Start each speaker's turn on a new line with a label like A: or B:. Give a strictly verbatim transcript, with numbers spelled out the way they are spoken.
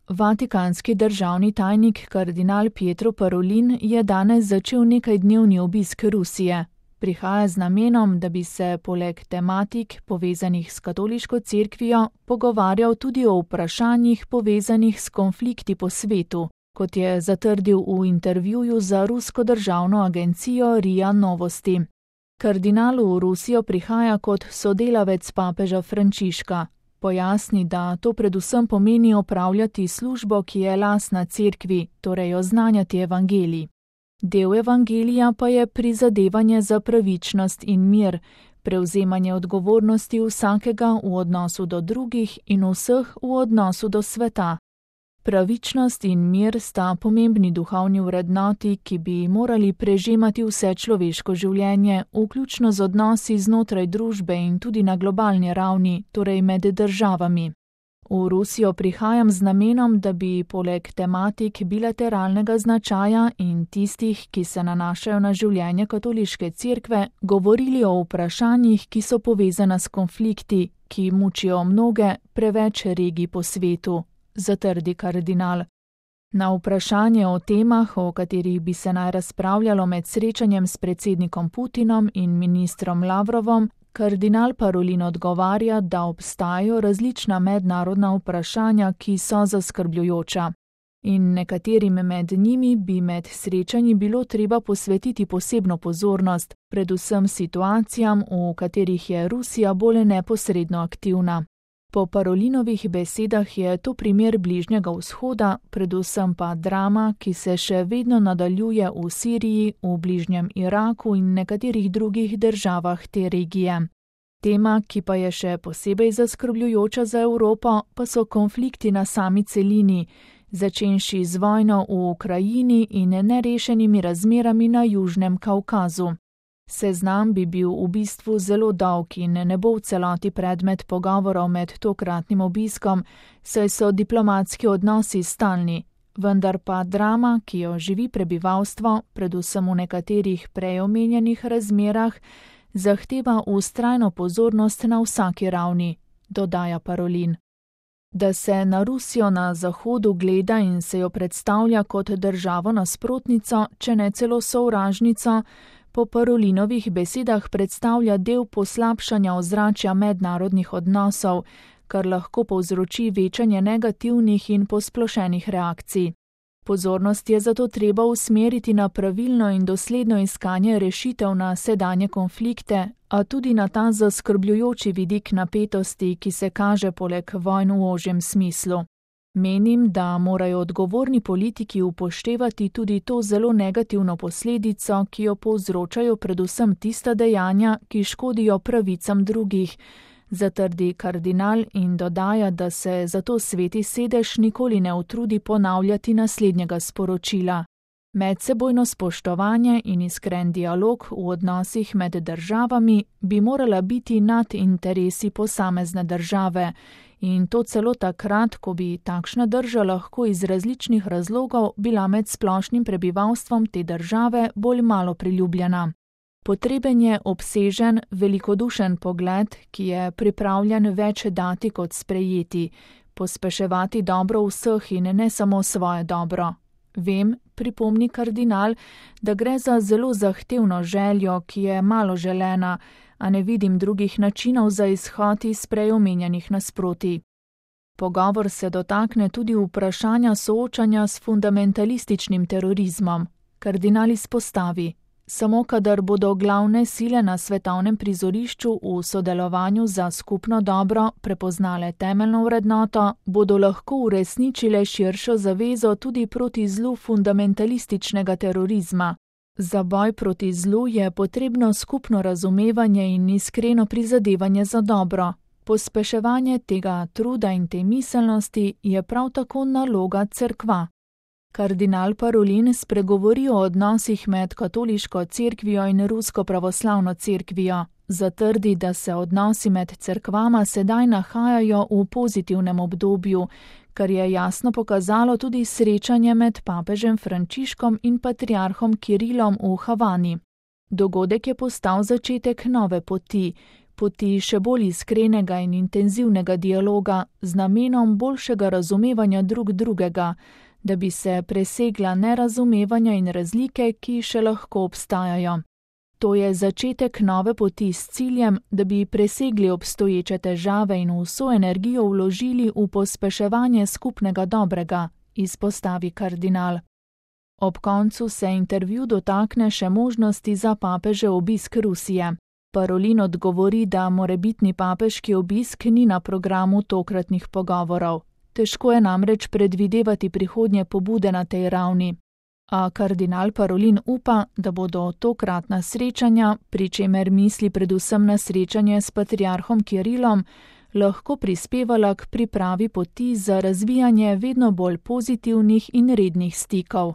A: Vatikanski državni tajnik kardinal Pietro Parolin je danes začel nekajdnevni obisk Rusije. Prihaja z namenom, da bi se poleg tematik povezanih s katoliško cerkvijo pogovarjal tudi o vprašanjih povezanih s konflikti po svetu, kot je zatrdil v intervjuju za rusko državno agencijo R I A Novosti. Kardinal v Rusijo prihaja kot sodelavec papeža Frančiška. Pojasni, da to predvsem pomeni opravljati službo, ki je lastna cerkvi, torej oznanjati evangelij. Del evangelija pa je prizadevanje za pravičnost in mir, prevzemanje odgovornosti vsakega v odnosu do drugih in vseh v odnosu do sveta. Pravičnost in mir sta pomembni duhovni vrednoti, ki bi morali prežemati vse človeško življenje, vključno z odnosi znotraj družbe in tudi na globalni ravni, torej med državami. V Rusijo prihajam z namenom, da bi poleg tematik bilateralnega značaja in tistih, ki se nanašajo na življenje katoliške cerkve, govorili o vprašanjih, ki so povezana s konflikti, ki mučijo mnoge, preveč regij po svetu, zatrdi kardinal. Na vprašanje o temah, o katerih bi se naj razpravljalo med srečanjem s predsednikom Putinom in ministrom Lavrovom, kardinal Parolin odgovarja, da obstajajo različna mednarodna vprašanja, ki so zaskrbljujoča. In nekaterim med njimi bi med srečanji bilo treba posvetiti posebno pozornost, predvsem situacijam, v katerih je Rusija bolj neposredno aktivna. Po Parolinovih besedah je to primer Bližnjega vzhoda, predvsem pa drama, ki se še vedno nadaljuje v Siriji, v bližnjem Iraku in nekaterih drugih državah te regije. Tema, ki pa je še posebej zaskrbljujoča za Evropo, pa so konflikti na sami celini, začenši z vojno v Ukrajini in nerešenimi razmerami na Južnem Kavkazu. Seznam bi bil v bistvu zelo dolg in ne bo v celoti predmet pogovorov med tokratnim obiskom, saj so diplomatski odnosi stalni, vendar pa drama, ki jo živi prebivalstvo, predvsem v nekaterih prej omenjenih razmerah, zahteva vztrajno pozornost na vsaki ravni, dodaja Parolin. Da se na Rusijo na Zahodu gleda in se jo predstavlja kot državo nasprotnico, če ne celo sovražnico, po Parolinovih besedah predstavlja del poslabšanja ozračja mednarodnih odnosov, kar lahko povzroči večanje negativnih in posplošenih reakcij. Pozornost je zato treba usmeriti na pravilno in dosledno iskanje rešitev na sedanje konflikte, a tudi na ta zaskrbljujoči vidik napetosti, ki se kaže poleg vojn v ožjem smislu. Menim, da morajo odgovorni politiki upoštevati tudi to zelo negativno posledico, ki jo povzročajo predvsem tista dejanja, ki škodijo pravicam drugih, zatrdi kardinal in dodaja, da se zato Sveti sedež nikoli ne utrudi ponavljati naslednjega sporočila. Medsebojno spoštovanje in iskren dialog v odnosih med državami bi morala biti nad interesi posamezne države, in to celo takrat, ko bi takšna drža lahko iz različnih razlogov bila med splošnim prebivalstvom te države bolj malo priljubljena. Potreben je obsežen, velikodušen pogled, ki je pripravljen več dati kot sprejeti, pospeševati dobro vseh in ne samo svoje dobro. Vem, pripomni kardinal, da gre za zelo zahtevno željo, ki je malo želena, a ne vidim drugih načinov za izhod iz prej omenjenih nasprotij. Pogovor se dotakne tudi vprašanja soočanja s fundamentalističnim terorizmom. Kardinal izpostavi: samo kadar bodo glavne sile na svetovnem prizorišču v sodelovanju za skupno dobro prepoznale temeljno vrednoto, bodo lahko uresničile širšo zavezo tudi proti zlu fundamentalističnega terorizma. Za boj proti zlu je potrebno skupno razumevanje in iskreno prizadevanje za dobro. Pospeševanje tega truda in te miselnosti je prav tako naloga cerkva. Kardinal Parolin spregovori o odnosih med katoliško cerkvijo in rusko pravoslavno cerkvijo. Zatrdi, da se odnosi med cerkvama sedaj nahajajo v pozitivnem obdobju, kar je jasno pokazalo tudi srečanje med papežem Frančiškom in patriarhom Kirilom v Havani. Dogodek je postal začetek nove poti, poti še bolj iskrenega in intenzivnega dialoga z namenom boljšega razumevanja drug drugega, da bi se presegla nerazumevanja in razlike, ki še lahko obstajajo. To je začetek nove poti s ciljem, da bi presegli obstoječe težave in vso energijo vložili v pospeševanje skupnega dobrega, izpostavi kardinal. Ob koncu se intervju dotakne še možnosti za papežev obisk Rusije. Parolin odgovori, da morebitni papeški obisk ni na programu tokratnih pogovorov. Težko je namreč predvidevati prihodnje pobude na tej ravni. A kardinal Parolin upa, da bodo tokratna srečanja, pri čemer misli predvsem na srečanje s patriarhom Kirilom, lahko prispevala k pripravi poti za razvijanje vedno bolj pozitivnih in rednih stikov.